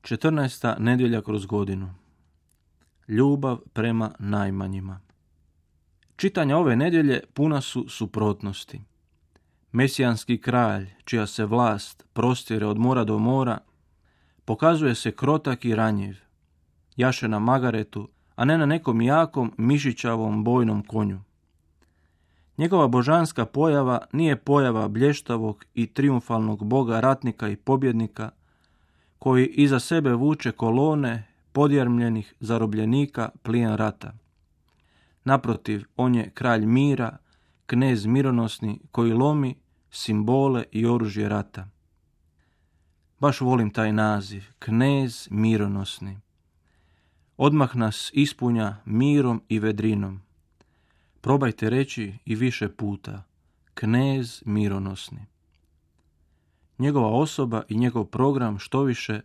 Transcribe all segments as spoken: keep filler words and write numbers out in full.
četrnaesta nedjelja kroz godinu. Ljubav prema najmanjima. Čitanja ove nedjelje puna su suprotnosti. Mesijanski kralj, čija se vlast prostire od mora do mora, pokazuje se krotak i ranjiv, jaše na magaretu, a ne na nekom jakom mišićavom bojnom konju. Njegova božanska pojava nije pojava blještavog i triumfalnog boga ratnika i pobjednika, koji iza sebe vuče kolone podjarmljenih zarobljenika plijen rata. Naprotiv, on je kralj mira, knez mironosni koji lomi simbole i oružje rata. Baš volim taj naziv, knez mironosni. Odmah nas ispunja mirom i vedrinom. Probajte reći i više puta, knez mironosni. Njegova osoba i njegov program štoviše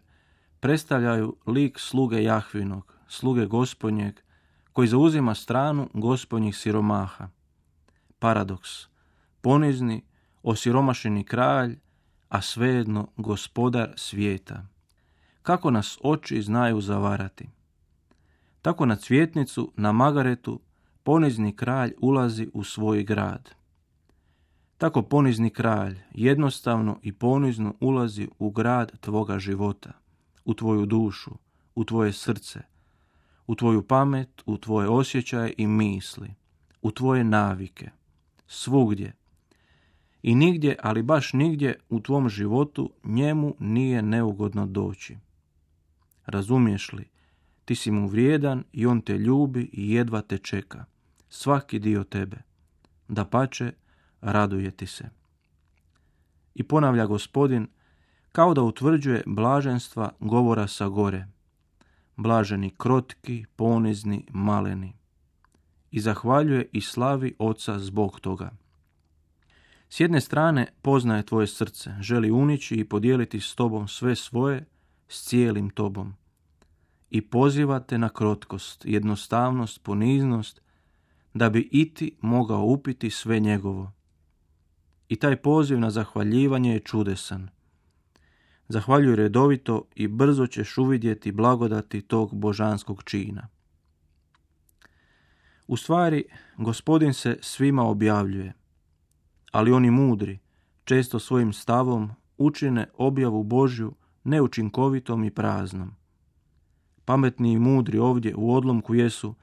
predstavljaju lik sluge Jahvinog, sluge Gospodnjeg, koji zauzima stranu Gospodnjih siromaha. Paradoks, ponizni, osiromašeni kralj, a svejedno gospodar svijeta. Kako nas oči znaju zavarati. Tako na cvjetnicu, na magaretu, ponizni kralj ulazi u svoj grad. Tako ponizni kralj jednostavno i ponizno ulazi u grad tvoga života, u tvoju dušu, u tvoje srce, u tvoju pamet, u tvoje osjećaje i misli, u tvoje navike, svugdje. I nigdje, ali baš nigdje u tvom životu njemu nije neugodno doći. Razumiješ li? Ti si mu vrijedan i on te ljubi i jedva te čeka. Svaki dio tebe. Dapače, raduje ti se. I ponavlja Gospodin, kao da utvrđuje blaženstva govora sa gore. Blaženi krotki, ponizni, maleni. I zahvaljuje i slavi Oca zbog toga. S jedne strane poznaje tvoje srce, želi unići i podijeliti s tobom sve svoje, s cijelim tobom. I poziva te na krotkost, jednostavnost, poniznost, da bi i ti mogao upiti sve njegovo. I taj poziv na zahvaljivanje je čudesan. Zahvaljuj redovito i brzo ćeš uvidjeti blagodati tog božanskog čina. U stvari, Gospodin se svima objavljuje, ali oni mudri, često svojim stavom, učine objavu Božju neučinkovitom i praznom. Pametni i mudri ovdje u odlomku jesu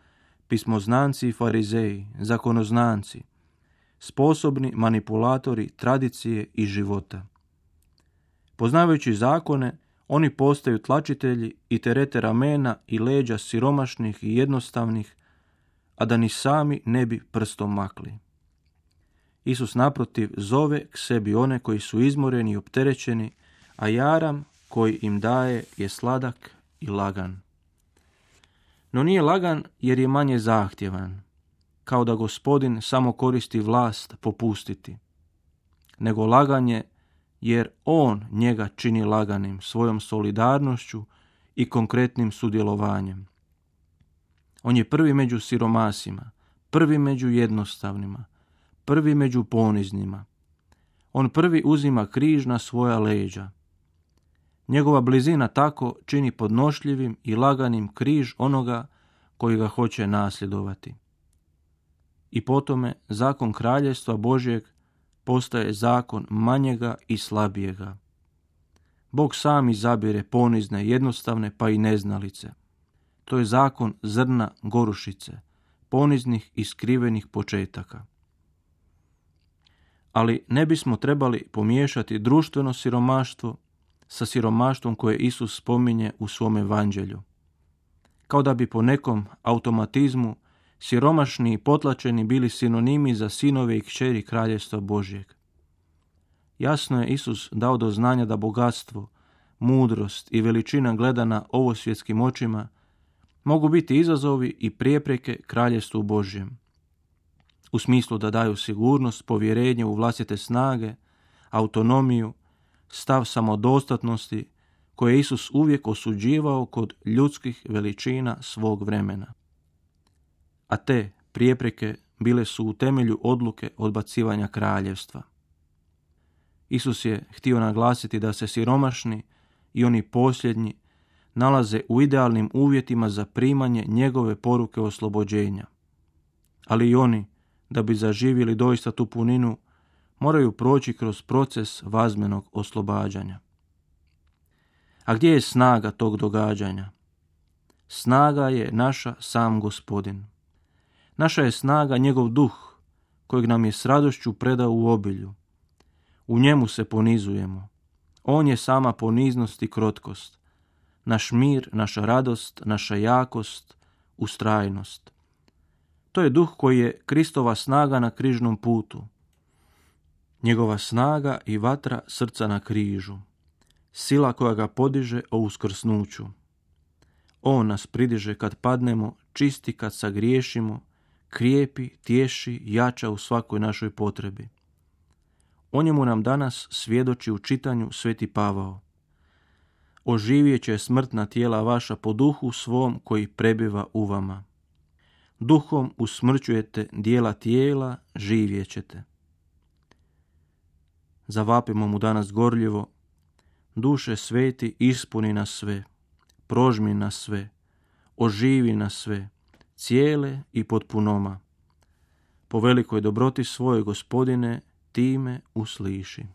pismoznanci i farizeji, zakonoznanci, sposobni manipulatori tradicije i života. Poznavajući zakone, oni postaju tlačitelji i terete ramena i leđa siromašnih i jednostavnih, a da ni sami ne bi prstom makli. Isus naprotiv zove k sebi one koji su izmoreni i opterećeni, a jaram koji im daje je sladak i lagan. No nije lagan jer je manje zahtjevan, kao da Gospodin samo koristi vlast popustiti, nego lagan je jer on njega čini laganim svojom solidarnošću i konkretnim sudjelovanjem. On je prvi među siromasima, prvi među jednostavnima, prvi među poniznima. On prvi uzima križ na svoja leđa. Njegova blizina tako čini podnošljivim i laganim križ onoga koji ga hoće nasljedovati. I potome zakon kraljevstva Božjeg postaje zakon manjega i slabijega. Bog sam izabire ponizne, jednostavne pa i neznalice. To je zakon zrna gorušice, poniznih i skrivenih početaka. Ali ne bismo trebali pomiješati društveno siromaštvo sa siromaštvom koje Isus spominje u svom evanđelju. Kao da bi po nekom automatizmu siromašni i potlačeni bili sinonimi za sinove i kćeri kraljevstva Božjeg. Jasno je Isus dao do znanja da bogatstvo, mudrost i veličina gledana ovosvjetskim očima mogu biti izazovi i prijepreke kraljevstvu Božjem. U smislu da daju sigurnost, povjerenje u vlastite snage, autonomiju, stav samodostatnosti koje je Isus uvijek osuđivao kod ljudskih veličina svog vremena. A te prijepreke bile su u temelju odluke odbacivanja kraljevstva. Isus je htio naglasiti da se siromašni i oni posljednji, nalaze u idealnim uvjetima za primanje njegove poruke oslobođenja. Ali i oni, da bi zaživjeli doista tu puninu, moraju proći kroz proces vazmenog oslobađanja. A gdje je snaga tog događanja? Snaga je naša sam Gospodin. Naša je snaga njegov duh, kojeg nam je s radošću predao u obilju. U njemu se ponizujemo. On je sama poniznost i krotkost. Naš mir, naša radost, naša jakost, ustrajnost. To je duh koji je Kristova snaga na križnom putu. Njegova snaga i vatra srca na križu. Sila koja ga podiže o uskrsnuću. On nas pridiže kad padnemo, čisti kad sagriješimo, krijepi, tješi, jača u svakoj našoj potrebi. O njemu nam danas svjedoči u čitanju Sveti Pavao. Oživjet će smrtna tijela vaša po duhu svom koji prebiva u vama. Duhom usmrćujete dijela tijela, živjet ćete. Zavapimo mu danas gorljivo: Duše sveti, ispuni nas sve, prožmi nas sve, oživi nas sve, cijele i potpunoma. Po velikoj dobroti svojoj, Gospodine, time usliši.